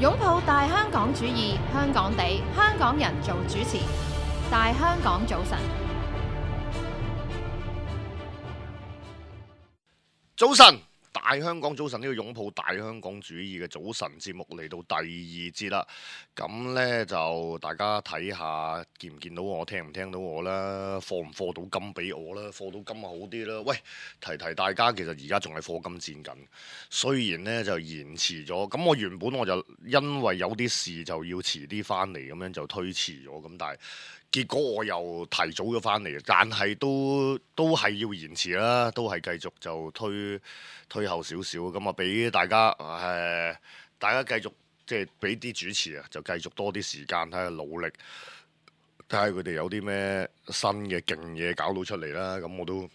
擁抱大香港主義，香港地，香港人做主持。大香港早晨，早晨，大香港早晨呢個擁抱大香港主義嘅早晨節目嚟到第二節啦。咁呢，就大家睇下見唔見到我，聽唔聽到我啦，課唔課到金俾我啦，課到金好啲啦。喂，提提大家，其實而家仲係課金戰緊，雖然呢就延遲咗。咁我原本我就因為有啲事就要遲啲翻嚟，咁樣就推遲咗。咁但係結果我又提早咗翻嚟，但係都係要延遲啦，都係繼續就推後少少，咁啊俾大家大家繼續即係俾啲主持啊，就繼續多啲時間睇下努力，睇下佢哋有啲咩新嘅勁嘢搞到出嚟啦。咁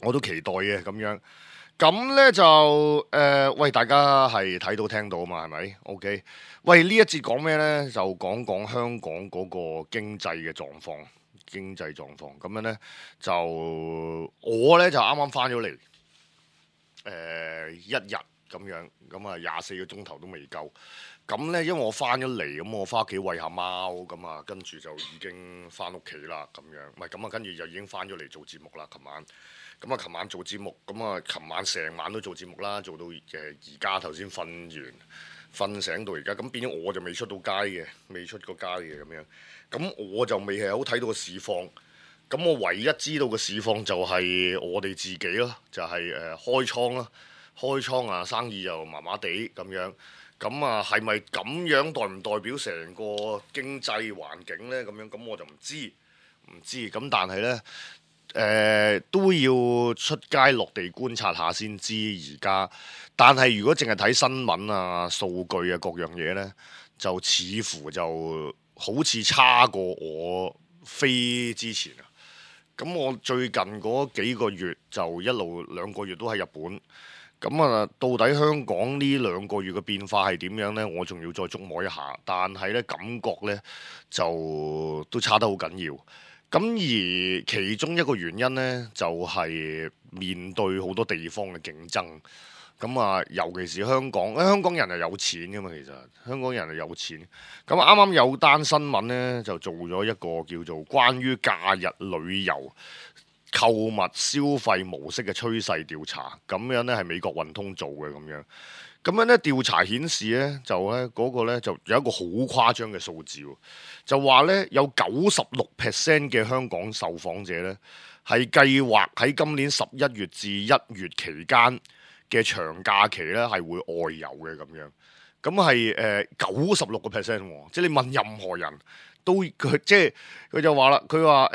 我都期待嘅咁樣。咁呢就喂，大家係睇到聽到啊嘛，係咪 ？OK， 喂，呢一節講咩呢？就講講香港嗰個經濟嘅狀況，咁樣呢，就我呢就啱啱翻咗嚟，一日咁樣，咁啊24個鐘頭都未夠。咁呢，因為我翻咗嚟，咁我翻屋企餵下貓，咁啊跟住就已經翻屋企啦，咁樣，唔係咁啊，跟住就已經翻咗嚟做節目啦，琴晚。咁啊，琴晚做節目，咁啊，琴晚成晚都做節目啦，做到而家頭先瞓完，瞓醒到而家，咁變咗我就未出到街嘅，未出過街嘅咁樣，咁我就未係好睇到個市況，咁我唯一知道嘅市況就係我哋自己咯，就係開倉啦，開倉啊生意又麻麻地咁樣，咁啊係咪咁樣代唔代表成個經濟環境呢？咁樣咁我就唔知，咁但係呢。都要出街落地觀察下先知而家，但係如果淨係睇新聞啊、數據啊各樣嘢呢，就似乎就好似差過我飛之前啊。咁我最近嗰幾個月就一路2個月都喺日本，咁啊到底香港呢2個月嘅變化係點樣呢？我仲要再觸摸一下，但係呢感覺呢，就都差得好緊要。咁而其中一個原因呢，就係面對好多地方嘅競爭。咁啊，尤其是香港，香港人係有錢㗎嘛，其實香港人係有錢。咁啱啱有單新聞呢，就做咗一個叫做關於假日旅遊購物消費模式嘅趨勢調查。咁樣呢係美國運通做嘅咁樣。咁樣咧調查顯示咧，就咧嗰個咧就有一個好誇張嘅數字，就話咧有96% 嘅香港受訪者咧係計劃喺今年11月至1月期間嘅長假期咧係會外遊嘅咁樣，咁係96%喎，即係你問任何人都佢就話啦，佢話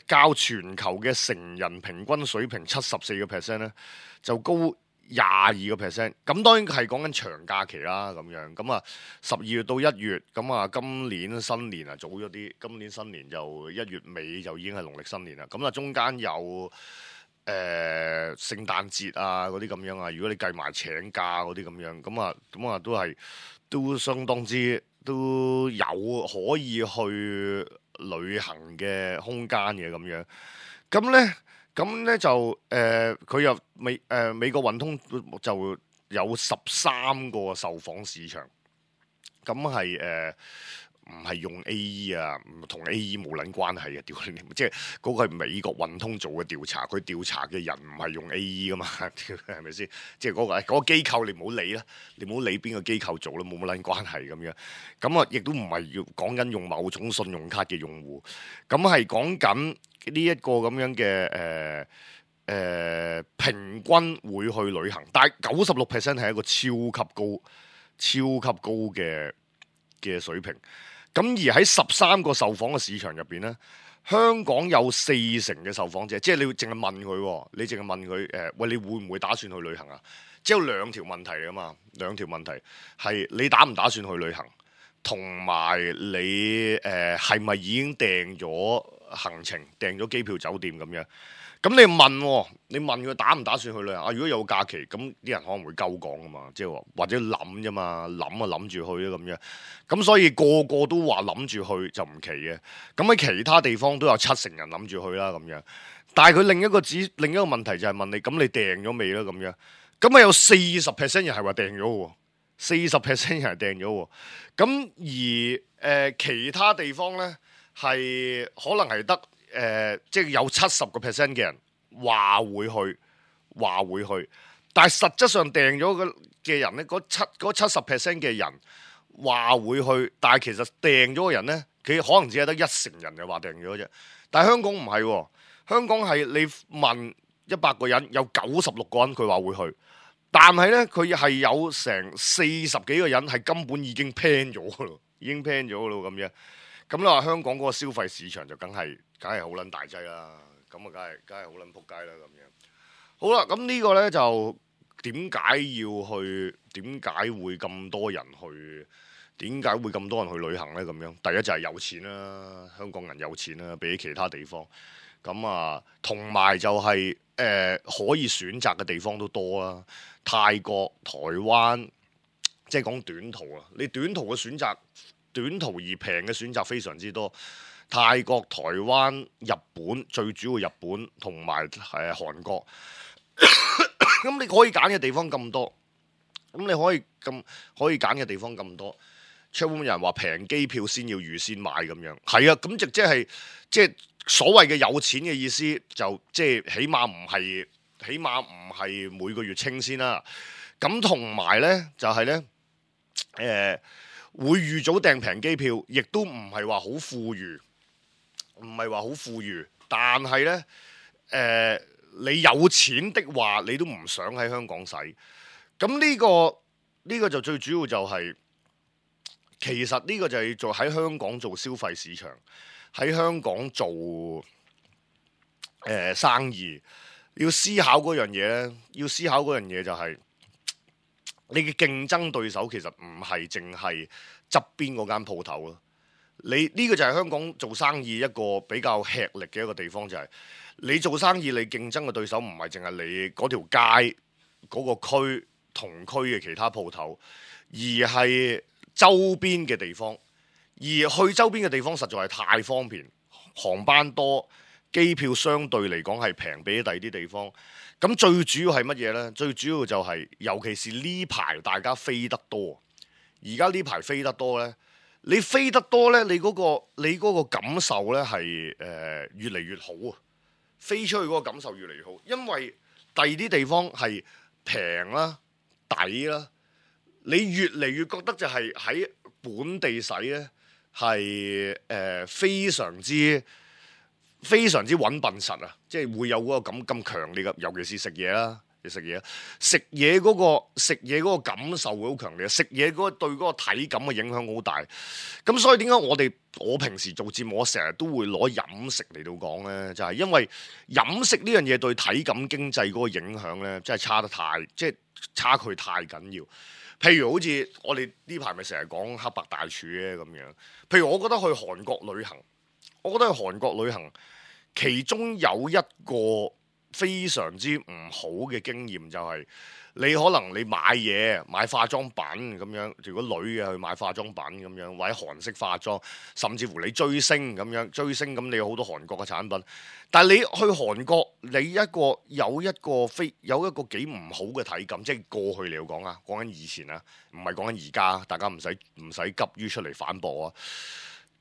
較全球嘅成人平均水平74%咧就高22%，咁當然係講緊長假期啦，咁樣咁啊12月到1月，咁啊今年新年啊早咗啲，今年新年就1月尾就已經係農曆新年啦，咁啊中間有聖誕節啊嗰啲咁樣啊，如果你計埋請假嗰啲咁樣，咁啊都相當之都有可以去旅行嘅空間嘅咁樣，咁咧就佢又美國運通就有13個受訪市場，咁係唔係用 AE 啊？同 AE 冇撚關係嘅，即係嗰個係美國運通做嘅調查，佢調查嘅人唔係用 AE 噶嘛，係咪先？即係嗰個機構你唔好理啦，你唔好理邊個機構做啦，冇乜撚關係咁樣。咁啊，亦都唔係要講緊用某種信用卡嘅用戶，咁係講緊呢一個咁樣嘅平均會去旅行，但係96% 係一個超級高嘅水平。咁而喺13個受訪嘅市場入邊咧，香港有40%嘅受訪者，即係你淨係問佢，喂，你會唔會打算去旅行啊？即係有2條問題嚟㗎嘛，兩條問題係你打唔打算去旅行，同埋你係咪已經訂咗行程、訂咗機票、酒店咁樣？咁你問佢打唔打算去旅行啊？如果有假期，咁啲人可能會鳩講㗎嘛，即係話或者諗啫嘛，諗住去啊咁樣。咁所以個個都話諗住去就唔奇嘅。咁喺其他地方都有70%人諗住去啦咁樣。但係佢另一個問題就係問你，咁你訂咗未啦咁樣？咁啊有40%人係話訂咗喎。40% 人訂咗喎。咁而其他地方咧係可能係得即係有70% 嘅人話會去，但係實質上訂咗嘅人咧，嗰70% 嘅人話會去，但係其實訂咗嘅人咧，佢可能只係得1成人就話訂咗啫。但係香港唔係喎，香港係你問100個人，有96個人佢話會去，但係咧佢係有成40幾個人係根本已經 plan 咗㗎咯，已經 plan 咗㗎咯咁樣。咁你話香港嗰個消費市場就梗係好撚大劑啦，咁啊梗係好撚仆街啦咁樣。好啦，咁呢個咧就點解要去？點解會咁多人去？點解會咁多人去旅行咧？咁樣第一就係有錢啦，香港人有錢啦，比起其他地方。咁啊，同埋就係可以選擇嘅地方都多啦。泰國、台灣，即係講短途啊，你短途嘅選擇，短途而平嘅選擇非常之多。泰國、台灣、日本，最主要日本同埋韓國。咁你可以揀嘅地方咁多，咁你可以揀嘅地方咁多。出邊有人話平機票先要預先買咁樣，係啊，咁即係所謂嘅有錢嘅意思，就即係起碼唔係每個月清先啦。咁同埋咧就係咧會預早訂平機票，亦都唔係話好富裕，但係咧你有錢的話，你都唔想喺香港使。咁呢個就最主要就係。其實呢個就係做喺香港做消費市場，喺香港做生意，要思考嗰樣嘢咧，就係你嘅競爭對手其實唔係淨係側邊嗰間鋪頭咯。呢個就係香港做生意一個比較吃力嘅一個地方，就係你做生意你競爭嘅對手唔係淨係你嗰條街嗰個區同區嘅其他鋪頭，而係周邊嘅地方，而去周邊嘅地方實在係太方便，航班多，機票相對嚟講係平比第二啲地方。咁最主要係乜嘢呢？最主要就係，尤其是呢排大家飛得多，而家呢排飛得多呢，你飛得多呢，你嗰個感受呢係越嚟越好啊！飛出去嗰個感受越嚟越好，因為第二啲地方係平啦、抵啦。你越嚟越覺得就係喺本地使咧，係非常之穩笨實啊！即係會有嗰個咁強烈嘅，尤其是食嘢啦，食嘢嗰個感受會好強烈，食嘢嗰對嗰個體感嘅影響好大。咁所以點解我平時做節目，我成日都會攞飲食嚟到講咧，就係因為飲食呢樣嘢對體感經濟嗰個影響咧，真係差距太緊要。譬如好似我哋呢排咪成日講黑白大廚嘅咁樣，譬如我覺得去韓國旅行，其中有一個非常之唔好嘅經驗就係，你可能你買化妝品咁樣，如果女嘅去買化妝品咁樣，或者韓式化妝，甚至乎你追星咁你有好多韓國嘅產品。但係你去韓國，你有一個幾唔好嘅體感，即係過去嚟講啊，講緊以前啊，唔係講緊而家，大家唔使急於出嚟反駁啊。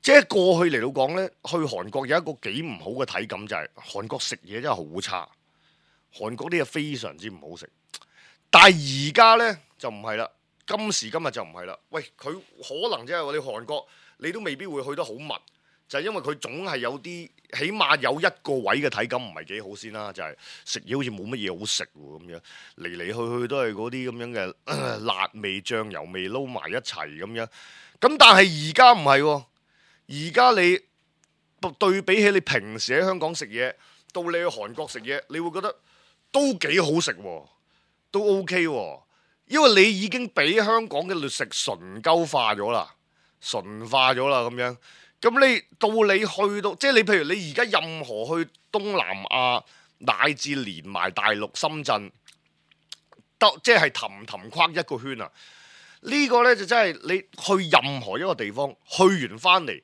即係過去嚟到講呢，去韓國有一個幾唔好嘅體感，就係韓國食嘢真係好差，韓國啲嘢非常之唔好食。但係而家呢，就唔係啦，今時今日就唔係啦。喂，佢可能即係我哋韓國，你都未必會去得好密。就係因為佢總係有啲，起碼有一個位嘅體感唔係幾好先啦。就係食嘢好似冇乜嘢好食喎咁樣，嚟嚟去去都係嗰啲咁樣嘅辣味醬油味撈埋一齊咁樣。咁但係而家唔係喎，而家你對比起你平時喺香港食嘢，到你去韓國食嘢，你會覺得都幾好食喎，都 OK 喎，因為你已經俾香港嘅劣食純化咗啦咁樣。咁你去到，即係你譬如你而家任何去東南亞，乃至連埋大陸深圳，即係氹框一個圈啊！呢個呢，就真係你去任何一個地方，去完翻嚟，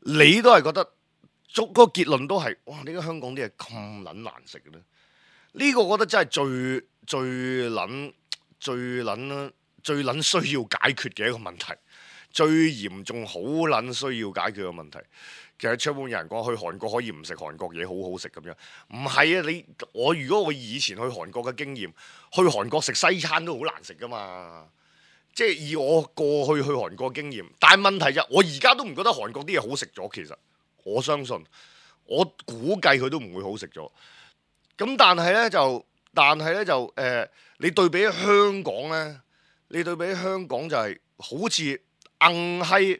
你都係覺得，嗰個結論都係，哇！點解香港啲嘢咁撚難食嘅呢？呢個我覺得真係最最撚需要解決嘅一個問題，最嚴重好撚需要解決嘅問題。其實出門有人講去韓國可以唔食韓國嘢，好好食咁樣，唔係啊！如果我以前去韓國嘅經驗，去韓國食西餐都好難食噶嘛。即係以我過去韓國經驗，但係問題就我而家都唔覺得韓國啲嘢好食咗。其實我相信，我估計佢都唔會好食咗。咁但係咧就你對比香港咧，你對比香港就係好似硬閪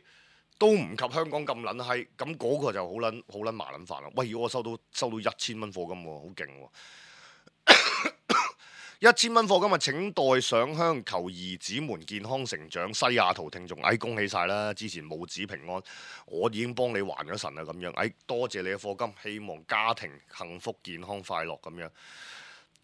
都唔及香港咁撚閪，咁嗰個就好撚麻撚煩啦。喂，如果我收到1000蚊課金喎，好勁喎！1000蚊課金啊！請代上香求兒子們健康成長。西雅圖聽眾，恭喜晒啦！之前母子平安，我已經幫你還咗神啦咁樣。多謝你嘅課金，希望家庭幸福、健康、快樂咁樣。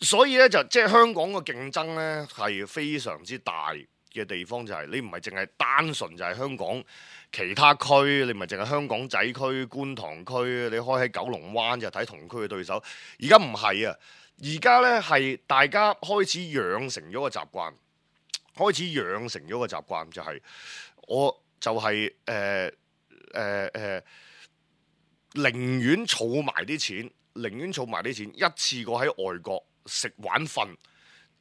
所以咧即係香港嘅競爭咧係非常之大嘅地方，就係你唔係淨係單純就係香港其他區，你唔係淨係香港仔區、觀塘區，你開喺九龍灣就睇同區嘅對手。而家唔係啊！而家咧係大家開始養成咗個習慣，就係我就係寧願儲埋啲錢，一次過喺外國食玩瞓，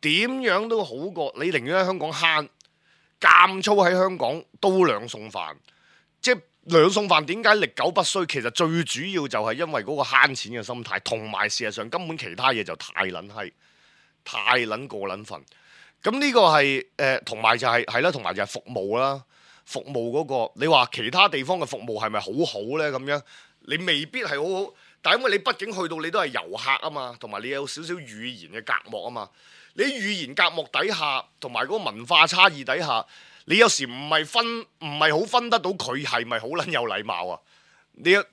點樣都好過你寧願喺香港慳，監粗喺香港都兩餸飯，即係兩餸飯點解歷久不衰？其實最主要就係因為嗰個慳錢嘅心態，同埋事實上根本其他嘢就太撚閪，太撚過撚份。咁呢個係同埋就係服務啦。服務嗰個，你話其他地方嘅服務係咪好好呢？咁樣你未必係好好，但係因為你畢竟去到你都係遊客啊嘛，同埋你有少少語言嘅隔膜啊嘛。你語言隔膜底下，同埋嗰個文化差異底下，你有時唔係好分得到佢係咪好撚有禮貌啊？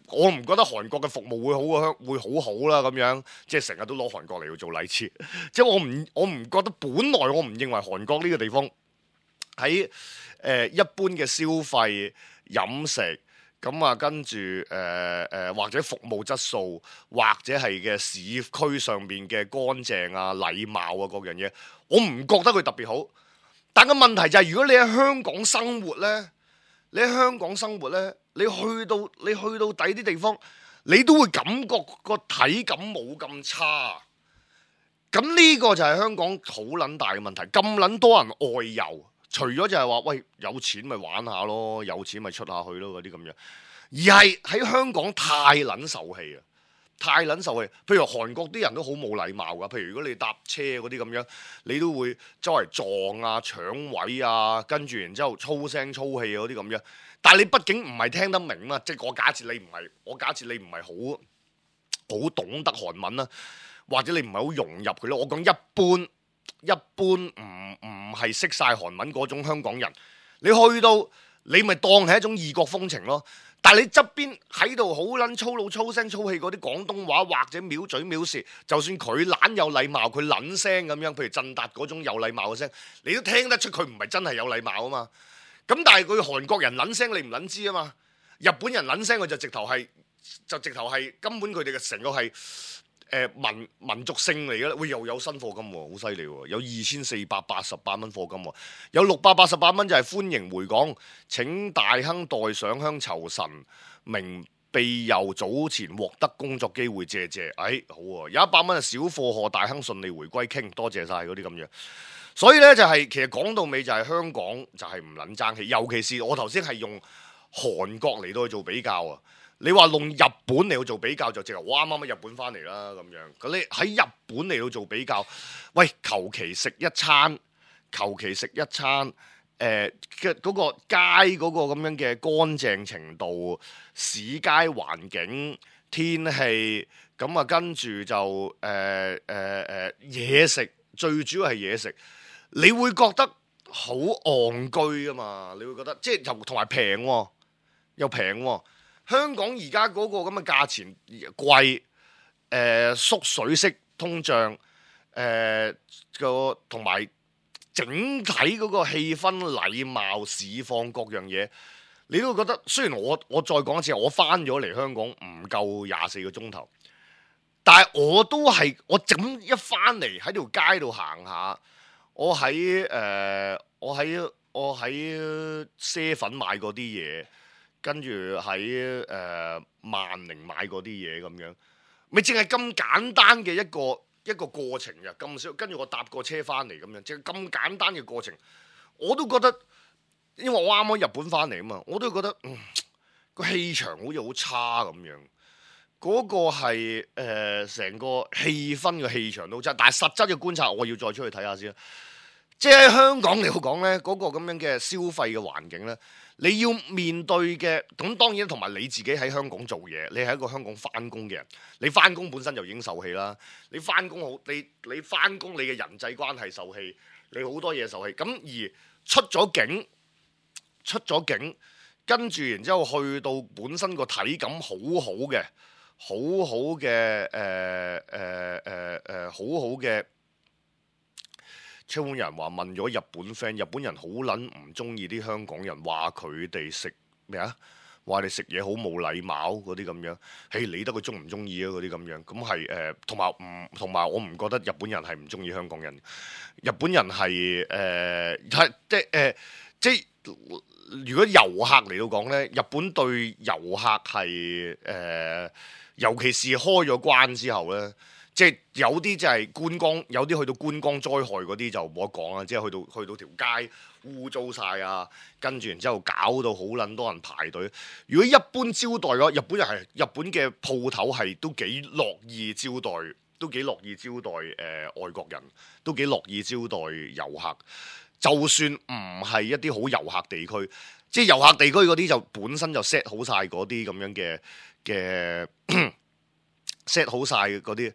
我唔覺得韓國嘅服務會好好啦咁樣，即係成日都攞韓國嚟做例子。即係我唔覺得，本來我唔認為韓國呢個地方喺一般嘅消費飲食咁啊，跟住或者服務質素，或者係嘅市區上邊嘅乾淨啊、禮貌啊各樣嘢，我唔覺得佢特別好。但個問題就係，如果你喺香港生活呢，你去到第啲地方，你都會感覺個體感冇咁差。咁呢個就係香港好撚大嘅問題，咁撚多人外遊，除咗就係話喂有錢咪玩下咯，有錢咪出下去咯嗰啲咁樣，而係喺香港太撚受氣啊！太撚受氣，譬如韓國啲人都好冇禮貌噶，譬如如果你搭車嗰啲咁樣，你都會周圍撞啊、搶位啊，跟住然之後粗聲粗氣嗰啲咁樣。但係你畢竟唔係聽得明嘛，即係我假設你唔係好懂得韓文啦，或者你唔係好融入佢咯。我講一般唔係識晒韓文嗰種香港人，你去到你咪當係一種異國風情咯。但係你側邊喺度好撚粗魯、粗聲粗氣嗰啲廣東話，或者藐嘴藐舌，就算佢懶有禮貌，佢撚聲咁樣，譬如振達嗰種有禮貌嘅聲，你都聽得出佢唔係真係有禮貌啊嘛。咁但係佢韓國人撚聲你唔撚知啊嘛，日本人撚聲佢就直頭係根本佢哋嘅成個係民族性嚟嘅啦。喂，又有新課金喎，好犀利喎，有2488蚊課金喎，有688蚊就係歡迎回港，請大亨代上香酬神明庇佑，早前獲得工作機會，謝謝。好喎，有100蚊係小貨賀大亨順利回歸傾，多謝晒嗰啲咁樣。所以咧就係其實講到尾就係香港就係唔撚爭氣，尤其是我頭先係用韓國嚟到去做比較啊。你話用日本嚟到做比較就直頭我啱啱喺日本翻嚟啦咁樣。咁你喺日本嚟到做比較，喂，求其食一餐嗰個街嗰個咁樣嘅乾淨程度、市街環境、天氣，咁啊跟住就嘢食，最主要係嘢食。你會覺得好戇居啊嘛！你會覺得即係又同埋平喎，又平喎。香港而家嗰個咁嘅價錢貴，縮水式通脹，同埋整體嗰個氣氛、禮貌、市況各樣嘢，你都會覺得。雖然我再講一次，我翻咗嚟香港唔夠24個鐘頭，但係我都係我整一翻嚟喺條街度行下。我喺啡粉買嗰啲嘢，跟住喺萬寧買嗰啲嘢咁樣，咪淨係咁簡單嘅一個過程嘅咁少，跟住我搭個車翻嚟咁樣，淨係咁簡單嘅過程，我都覺得，因為我啱啱日本翻嚟啊嘛，我都覺得個氣場好似好差咁樣。嗰個係成個氣氛嘅氣場都差，但係實質嘅觀察我要再出去睇下先啦。即係喺香港嚟講呢，嗰個咁樣嘅消費嘅環境呢，你要面對嘅咁當然同埋你自己喺香港做嘢，你係一個香港翻工嘅人，你翻工本身就已經受氣啦。你翻工好，你翻工你嘅人際關係受氣，你好多嘢受氣。咁而出咗境，跟住然之後去到本身個體感好好嘅。好好嘅好好嘅，香港人話問咗日本 friend， 日本人好撚唔中意啲香港人，話佢哋食咩啊？話你食嘢好冇禮貌嗰啲咁樣，嘿理得佢中唔中意啊嗰啲咁樣，咁係同埋我唔覺得日本人係唔中意香港人，日本人係如果遊客嚟到講呢，日本對遊客係尤其是開咗關之後呢，即係有啲就係觀光，有啲去到觀光災害嗰啲就冇得講啦，即係去到條街污糟晒啊，跟住然之後搞到好撚多人排隊。如果一般招待嘅日本嘅鋪頭係都幾樂意招待，外國人，都幾樂意招待遊客。就算唔係一啲好遊客地區，即係遊客地區嗰啲就本身就 set 好晒嗰啲咁樣嘅set 好晒嗰啲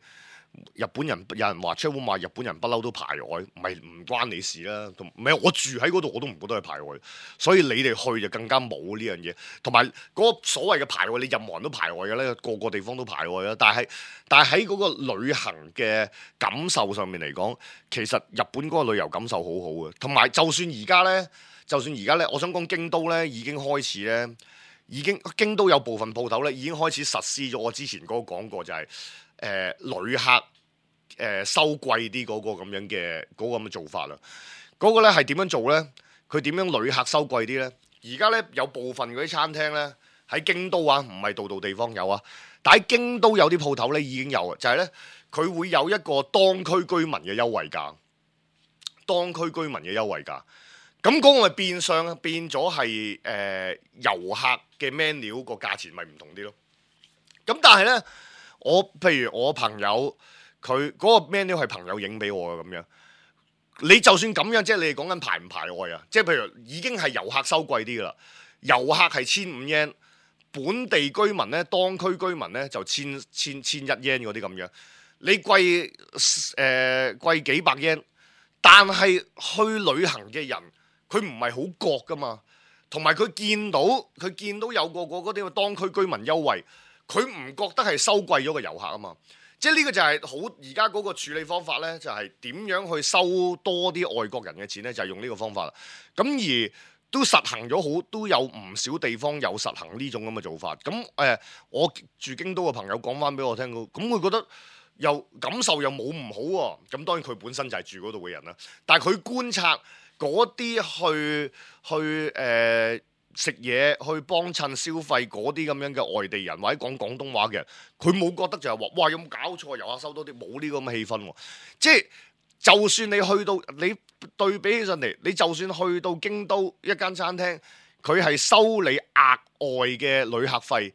日本人，有人話出門話日本人不嬲都排外，唔關你事啦。唔係我住喺嗰度我都唔覺得係排外，所以你哋去就更加冇呢樣嘢。同埋嗰個所謂嘅排外，你任何人都排外嘅咧，個個地方都排外啦。但係喺嗰個旅行嘅感受上面嚟講，其實日本嗰個旅遊感受好好嘅。同埋就算而家咧，我想講京都咧已經開始咧。京都有部分鋪頭咧已經開始實施咗我之前嗰個講過，就係旅客收貴啲嗰個咁樣嘅嗰個咁嘅做法啦。嗰個咧係點樣做咧？佢點樣旅客收貴啲咧？而家咧有部分嗰啲餐廳咧喺京都啊，唔係度度地方有啊，但喺京都有啲鋪頭咧已經有啊，就係咧佢會有一個當區居民嘅優惠價，咁嗰個咪變相變咗係遊客嘅 menu 個價錢咪唔同啲咯。咁但係咧，譬如我朋友佢嗰個 menu 係朋友影俾我嘅咁樣，你就算咁樣，即係你哋講緊排唔排外啊？即係譬如已經係遊客收貴啲噶啦，遊客係1500 yen，本地居民咧、當區居民咧就千一 yen 嗰啲咁樣，你貴幾百 yen，但係去旅行嘅人。佢唔係好覺噶嘛，同埋佢見到有個嗰啲當區居民優惠，佢唔覺得係收貴咗個遊客啊嘛。即係呢個就係好而家嗰個處理方法呢，就係點樣去收多啲外國人嘅錢呢？就係用呢個方法啦。咁而都實行咗都有唔少地方有實行呢種咁嘅做法。咁我住京都嘅朋友講翻俾我聽，咁佢覺得又感受又冇唔好喎。咁當然佢本身就係住嗰度嘅人啦，但係佢觀察。嗰啲去食嘢、去幫襯消費嗰啲咁樣嘅外地人或者講廣東話嘅人，佢冇覺得就係話，哇有冇搞錯？遊客收多啲，冇呢個咁嘅氣氛喎。即係就算你去到你對比起上嚟，你就算去到京都一間餐廳，佢係收你額外嘅旅客費，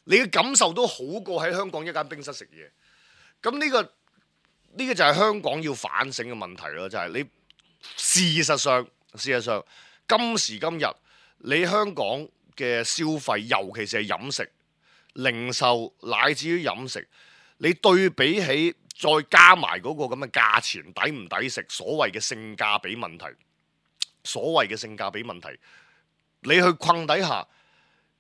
你嘅感受都好過喺香港一間冰室食嘢。咁呢個就係香港要反省嘅問題咯，就係你。事實上，今時今日，你香港嘅消費，尤其是係飲食、零售乃至於飲食，你對比起再加埋嗰個咁嘅價錢，抵唔抵食？所謂嘅性價比問題，你去困底下，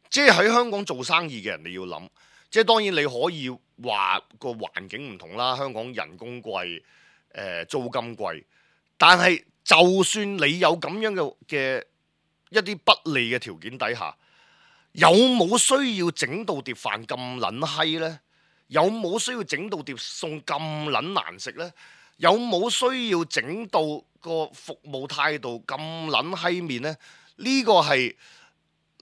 即係喺香港做生意嘅人，你要諗，即係當然你可以話個環境唔同啦，香港人工貴，租金貴，但係。就算你有咁樣嘅一啲不利嘅條件底下，有冇需要整到碟飯咁撚閪呢？有冇需要整到碟餸咁撚難食呢？有冇需要整到個服務態度咁撚閪面呢？呢個係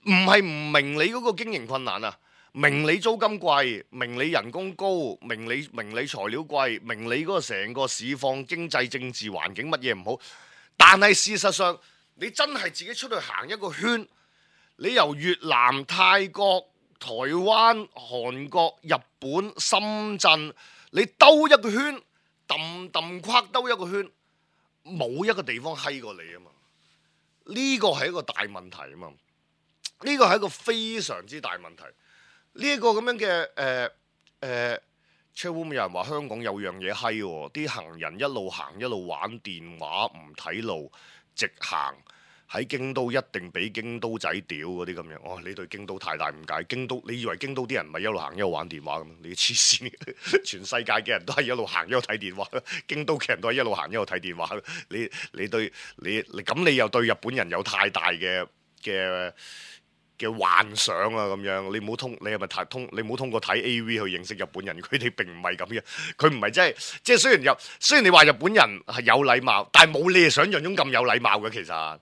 唔明你嗰個經營困難啊？明你租金貴，明你人工高，明你材料貴，明你嗰個成個市況、經濟、政治環境乜嘢唔好，但係事實上你真係自己出去行一個圈，你由越南、泰國、台灣、韓國、日本、深圳，你兜一個圈，跨兜一個圈，冇一個地方閪過你啊嘛！呢個係一個大問題啊嘛！呢個係一個非常之大問題。呢一個咁樣嘅車會唔會有人話香港有樣嘢閪喎？啲行人一路行一路玩電話，唔睇路，直行喺京都一定俾京都仔屌嗰啲咁樣。哦，你對京都太大誤解。京都，你以為京都啲人唔係一路行一路玩電話咁？你黐線！全世界嘅人都係一路行一路睇電話，京都嘅人都係一路行一路睇電話。你咁你又對日本人有太大嘅幻想啊咁樣，你唔好你唔好通過睇 AV 去認識日本人，佢哋並唔係咁嘅，佢唔係即係雖然你話日本人係有禮貌，但係冇你哋想象中咁有禮貌嘅，其實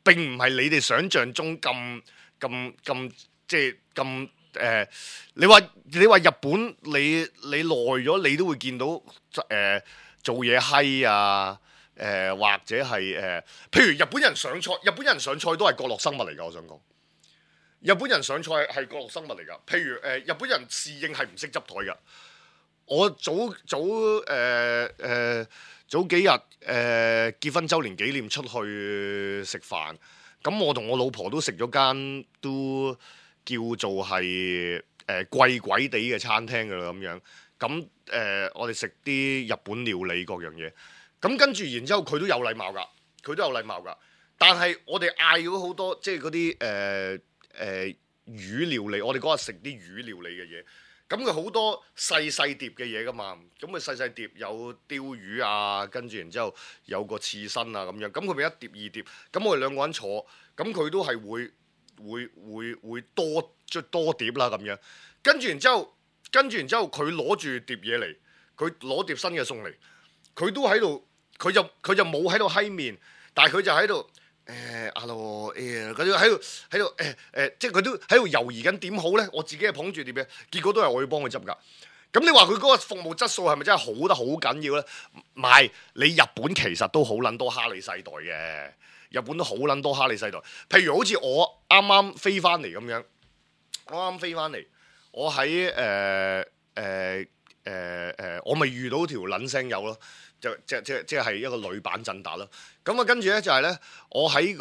並唔係你哋想象中咁即係咁你話日本你耐咗，你都會見到做嘢閪啊或者係譬如日本人上菜都係角落生物嚟㗎，我想講。日本人上菜係角落生物嚟㗎，譬如日本人侍應係唔識執台㗎。我早幾日結婚週年紀念出去食飯，咁我同我老婆都食咗間都叫做係貴鬼地嘅餐廳㗎啦咁樣。咁我哋食啲日本料理各樣嘢，咁跟住然之後佢都有禮貌㗎，但係我哋嗌咗好多即係嗰啲魚料理，我哋嗰日食啲魚料理嘅嘢，咁佢好多細碟嘅嘢噶嘛，咁佢細碟有鯛魚啊，跟住然之後有個刺身啊咁樣，咁佢咪一碟二碟，咁我哋兩個人坐，咁佢都係會多碟啦咁樣，跟住然之後佢攞住碟嘢嚟，佢攞碟新嘅餸嚟，佢都喺度，佢就冇喺度閪面，但係佢就喺度。Hello，佢都喺度即係佢都喺度猶豫緊點好咧。我自己係捧住碟嘅，結果都係我要幫佢執㗎。咁你話佢嗰個服務質素係咪真係好得好緊要咧？唔係，你日本其實都好撚多哈利世代嘅，日本都好撚多哈利世代。譬如好似我啱啱飛翻嚟咁樣，我喺我咪遇到條撚聲友咯。即係一個女版振達咯，咁啊跟住咧就係咧，我喺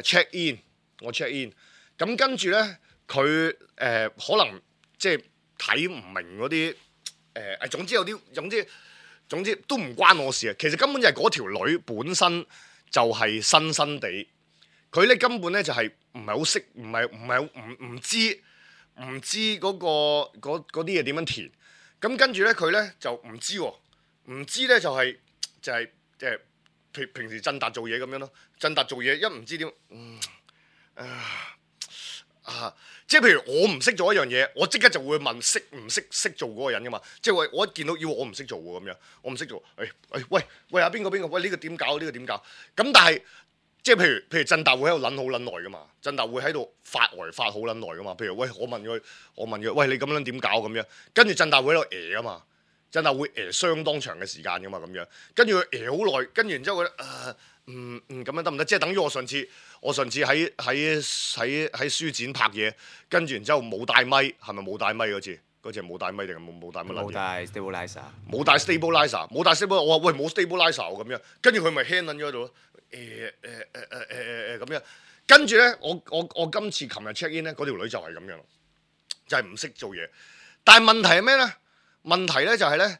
check in，咁跟住咧佢可能即係睇唔明嗰啲總之都唔關我事啊。其實根本就係嗰條女本身就係新地，佢咧根本咧就係唔係好識，唔知嗰啲嘢點樣填，咁跟住咧佢咧就唔知喎。唔知咧就係平時振達做嘢咁樣咯，振達做嘢一唔知點，即係譬如我唔識做一樣嘢，我即刻就會問識唔識做嗰個人噶嘛，即係我一見到要我唔識做喎咁樣，我唔識做，喂啊邊個，喂呢個點搞，咁但係即係譬如振達會喺度撚好撚耐噶嘛，振達會喺度發好撚耐噶嘛，譬如喂我問佢，喂你咁樣點搞咁樣，跟住振達會喺度啊嘛。真係會相當長嘅時間噶嘛咁樣，跟住佢好耐，跟住然之後佢咁樣得唔得？即係等於我上次喺書展拍嘢，跟住然之後冇帶咪，係咪冇帶咪嗰次？嗰次係冇帶咪定係冇帶乜撚嘢？冇帶 stabilizer，我話喂冇 stabilizer 咁樣，跟住佢咪 hand 撚咗喺度咯，咁樣，跟住咧我今次琴日 check in 咧，嗰條女就係咁樣，就係唔識做嘢，但係問題係咩咧？問題咧就係咧，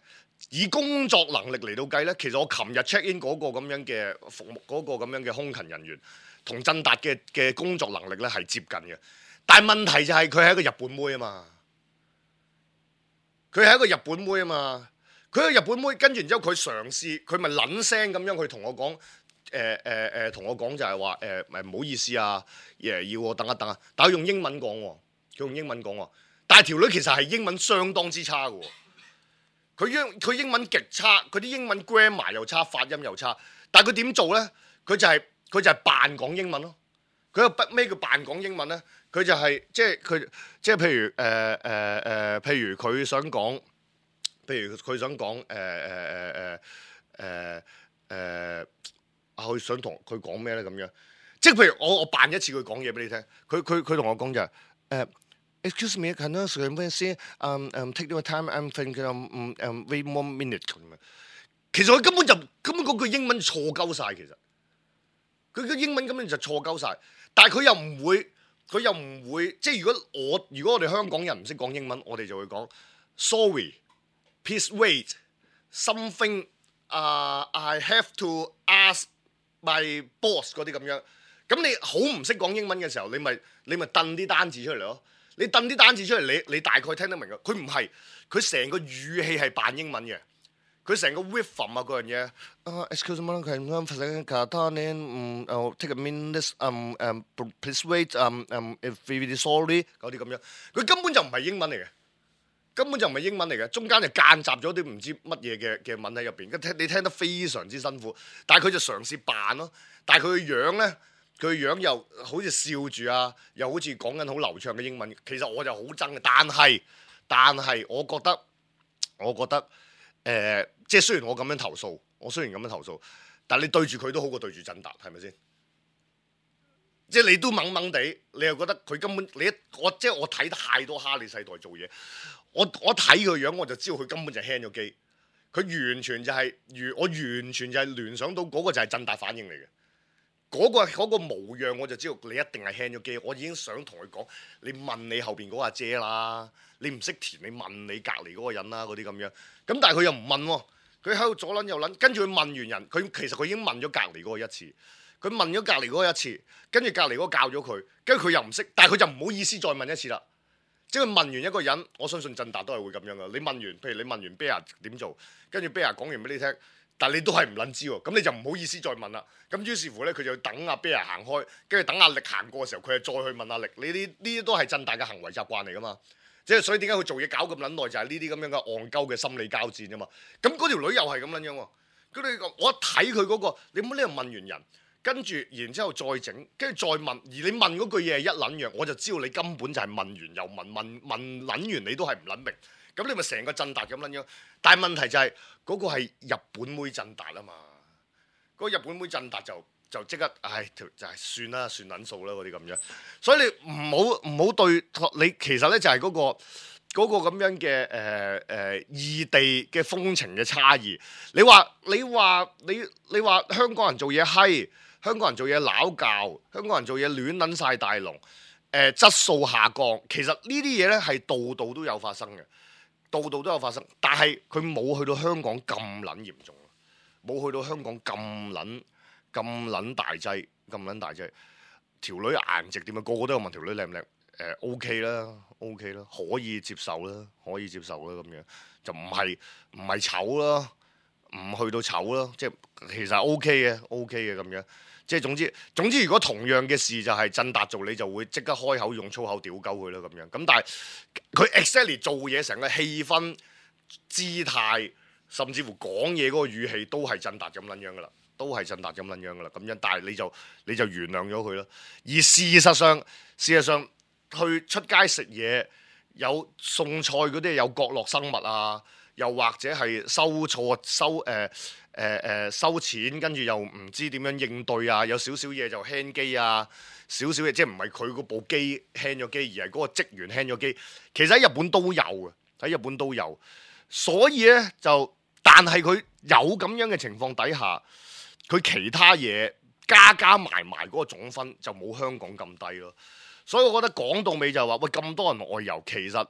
以工作能力嚟到計咧，其實我琴日 check in 嗰個咁樣嘅服務，嗰個咁樣嘅空勤人員，同振達嘅工作能力咧係接近嘅。但係問題就係佢係一個日本妹啊嘛，佢係一個日本妹，跟住然之後佢嘗試，佢咪撚聲咁樣去同我講，同我講就係話唔好意思啊，要我等一等啊，但係佢用英文講喎，但係條女其實係英文相當之差嘅喎。佢英文極差，佢啲英文 grammar 又差，發音又差。但係佢點做咧？佢就係扮講英文咯。佢有咩叫扮講英文咧？佢就係即係譬如譬如佢想講，佢想同佢講咩咧咁樣？即係譬如我扮一次佢講嘢俾你聽，佢同我講就係excuse me, can I say take your time, I'm thinking wait one minute 咁樣。其實佢根本嗰句英文錯鳩晒，其實佢嘅英文根本就錯鳩晒，但係佢又唔會，即係如果我哋香港人唔識講英文，我哋就會講 sorry, please wait, something I have to ask my boss 嗰啲咁樣。咁你好唔識講英文嘅時候，你咪掟啲單字出嚟咯。你掟啲單字出嚟，你大概聽得明嘅。佢唔係，佢成個語氣係扮英文嘅。佢成個 rhythm 啊嗰樣嘢，excuse me, can I take a minute, please wait, if really sorry 嗰啲咁樣。佢根本就唔係英文嚟嘅，中間就間雜咗啲唔知乜嘢嘅文喺入邊。你聽得非常之辛苦，但係佢就嘗試扮咯。但係佢嘅樣咧，佢嘅樣又好似笑住啊，又好似講緊好流暢嘅英文。其實我就好憎嘅，但係我覺得即係雖然我咁樣投訴，但係你對住佢都好過對住振達，係咪先？即係你都懵懵地，你又覺得佢根本我睇太多哈利世代做嘢，我睇佢樣我就知道佢根本就係 hang 咗機，佢完全就係我完全就係聯想到嗰個就係振達反應嚟嘅，嗰個模樣我就知道你一定係 hang 咗機，我已經想同佢講，你問你後邊嗰個阿姐啦，你唔識填你問你隔離嗰個人啦嗰啲咁樣，咁但係佢又唔問喎。佢喺度左撚右撚，跟住佢問完人，其實佢已經問咗隔離嗰個一次，佢問咗隔離嗰個一次，跟住隔離嗰個教咗佢，跟住佢又唔識，但係佢就唔好意思再問一次啦。即係佢問完一個人，我相信振達都係會咁樣噶。你問完，譬如你問完 Bear 點做，跟住 Bear 講完俾你聽，但係你都係唔撚知喎，咁你就唔好意思再問啦。咁於是乎咧，佢就等阿 Bear 行開，跟住等阿力行過嘅時候，佢就再去問阿力。呢啲都係振達嘅行為習慣嚟噶嘛。即係所以點解佢做嘢搞咁撚耐，就係呢啲咁樣嘅戇鳩嘅心理交戰啊嘛。咁嗰條女又係咁撚樣喎。我一睇佢嗰個，你唔好呢度問完人，跟住然之後再整，跟住再問，而你問嗰句嘢係一撚樣，我就知道你根本就係問完又問撚完你都係唔撚明。咁你咪成個振達咁撚樣。但係問題就係嗰個係日本妹振達啊嘛。嗰個日本妹振達就即刻，就係算啦，算撚數啦嗰啲咁樣，所以你唔好對你，其實咧就係嗰個咁樣嘅異地嘅風情嘅差異。你話香港人做嘢閪，香港人做嘢撈教，香港人做嘢亂撚晒大龍，質素下降。其實呢啲嘢咧係度度都有發生嘅，度度都有發生，但係佢冇去到香港咁撚嚴重，冇去到香港咁撚大劑，條女顏值點啊？個個都有問條女靚唔靚？OK 啦，可以接受啦，咁樣就唔係醜啦，唔去到醜啦，即係其實 OK 嘅咁樣。即係總之，如果同樣嘅事就係振達做，你就會即刻開口用粗口屌鳩佢啦咁樣。咁但係佢 exactly 做嘢成個氣氛、姿態，甚至乎講嘢嗰個語氣都係振達咁撚樣噶啦。咁樣，但係你就原諒咗佢啦。而事實上，去出街食嘢有送菜嗰啲有角落生物啊，又或者係收錢，跟住又唔知點樣應對啊，有少少嘢就 hang 機啊，少少嘢即係唔係佢嗰部機 hang 咗機，而係嗰個職員 hang 咗機。其實喺日本都有，所以咧但係佢有咁樣嘅情況底下。佢其他嘢加埋嗰個總分就冇香港咁低咯，所以我覺得講到尾就係話，喂，咁多人外遊，其實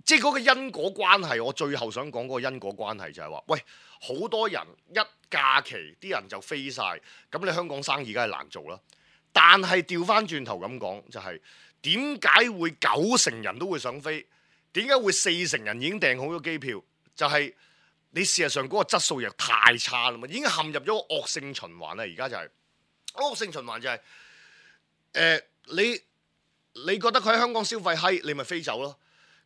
即係嗰個因果關係，我最後想講嗰個因果關係就係話，喂，好多人一假期啲人就飛晒，咁你香港生意梗係難做啦。但係調翻轉頭咁講，就係點解會90%人都會想飛？點解會40%人已經訂好咗機票？就係你事實上嗰個質素又太差啦嘛，已經陷入咗個惡性循環啦。而家就係惡性循環就係你覺得佢喺香港消費閪，你咪飛走咯。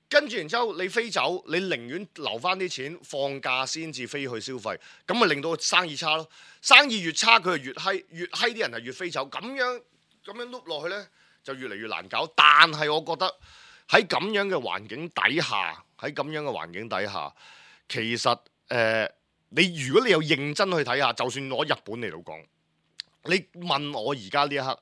跟住然之後你飛走，你寧願留翻啲錢放假先至飛去消費，咁咪令到生意差咯。生意越差佢就越閪，越閪啲人係越飛走，咁樣碌落去呢，就越嚟越難搞。但係我覺得喺咁樣嘅環境底下，其實你如果你有認真去睇下，就算攞日本嚟到講，你問我而家呢一刻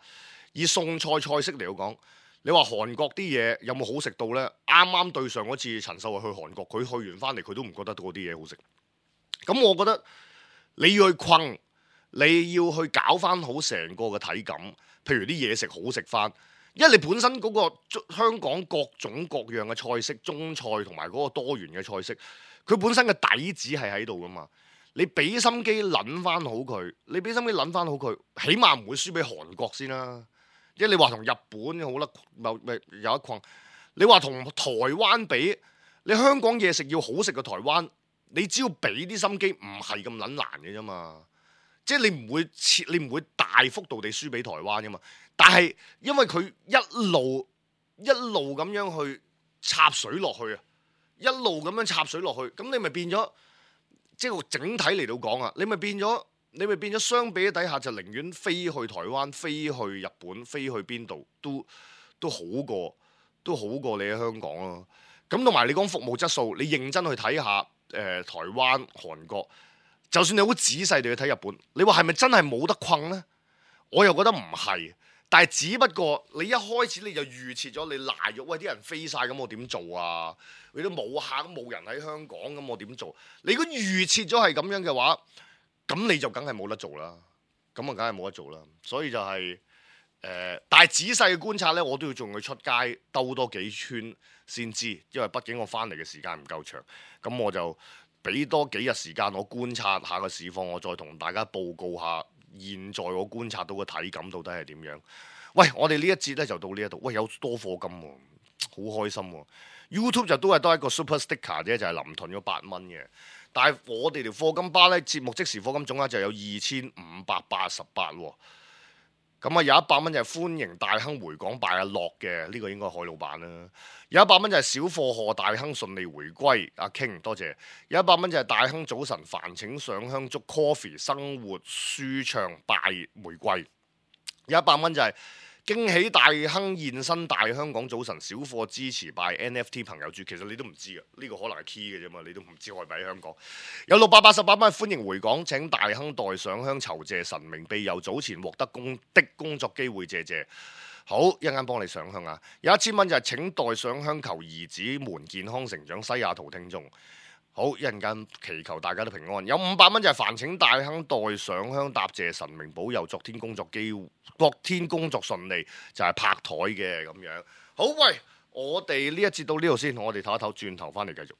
以餸菜式嚟到講。你話韓國啲嘢有冇好食到呢？啱啱對上嗰次陳秀慧去韓國，佢去完翻嚟佢都唔覺得嗰啲嘢好食。咁我覺得你要去困，你要去搞翻好成個嘅體感。譬如啲嘢食好食翻，因為你本身嗰個香港各種各樣嘅菜式，中菜同埋嗰個多元嘅菜式，佢本身嘅底子係喺度噶嘛。你俾心機諗翻好佢，起碼唔會輸俾韓國先啦。即係你話同日本好啦，咪有一困。你話同台灣比，你香港嘢食要好食過台灣，你只要俾啲心機，唔係咁撚難嘅啫嘛。即係你唔會大幅度地輸俾台灣噶嘛。但係因為佢一路咁樣去插水落去啊，咁你咪變咗，即係整體嚟到講啊，你咪變咗相比底下就寧願飛去台灣、飛去日本、飛去邊度都好過你喺香港咯。咁同埋你講服務質素，你認真去睇下台灣、韓國，就算你好仔細地去睇日本，你話係咪真係冇得困呢？我又覺得唔係，但係只不過你一開始你就預設咗你賴咗，喂啲人飛晒咁我點做啊？你都冇客冇人喺香港咁我點做？你如果預設咗係咁樣嘅話，咁你就梗係冇得做啦，所以就係但係仔細嘅觀察呢，我都要仲要出街兜多幾圈先知，因為畢竟我翻嚟嘅時間唔夠長，咁我就俾多幾日時間我觀察下個市況，我再同大家報告下現在我觀察到嘅體感到底係點樣。喂，我哋呢一節呢就到呢一度，喂有多課金喎，好開心喎。YouTube 就都係多一個 Super Sticker 啫，就係臨屯咗8蚊嘅。但係我哋條課金巴咧，節目即時課金總額就有2588喎。咁啊有100蚊就係歡迎大亨回港拜阿樂嘅，呢個應該海老闆啦。有100蚊就係小貨賀大亨順利回歸，阿 King 多謝。有100蚊就係大亨早晨煩請上香祝 Coffee 生活舒暢拜玫瑰。有100蚊就係驚喜大亨現身大香港早晨小貨支持拜 NFT 朋友豬，其實你都唔知嘅，呢個可能係 key 嘅啫嘛，你都唔知我係咪喺香港。有688蚊歡迎回港，請大亨代上香酬謝神明庇佑早前獲得工作機會，謝謝。好，一陣間幫你上香啊！有1000蚊就係請代上香求兒子們健康成長，西雅圖聽眾。好，一陣間祈求大家都平安。有500蚊就係煩請大亨代上香答謝神明保佑，昨天工作順利，就係拍台嘅咁樣。好，喂，我哋呢一節到呢度先，我哋唞一唞，轉頭翻嚟繼續。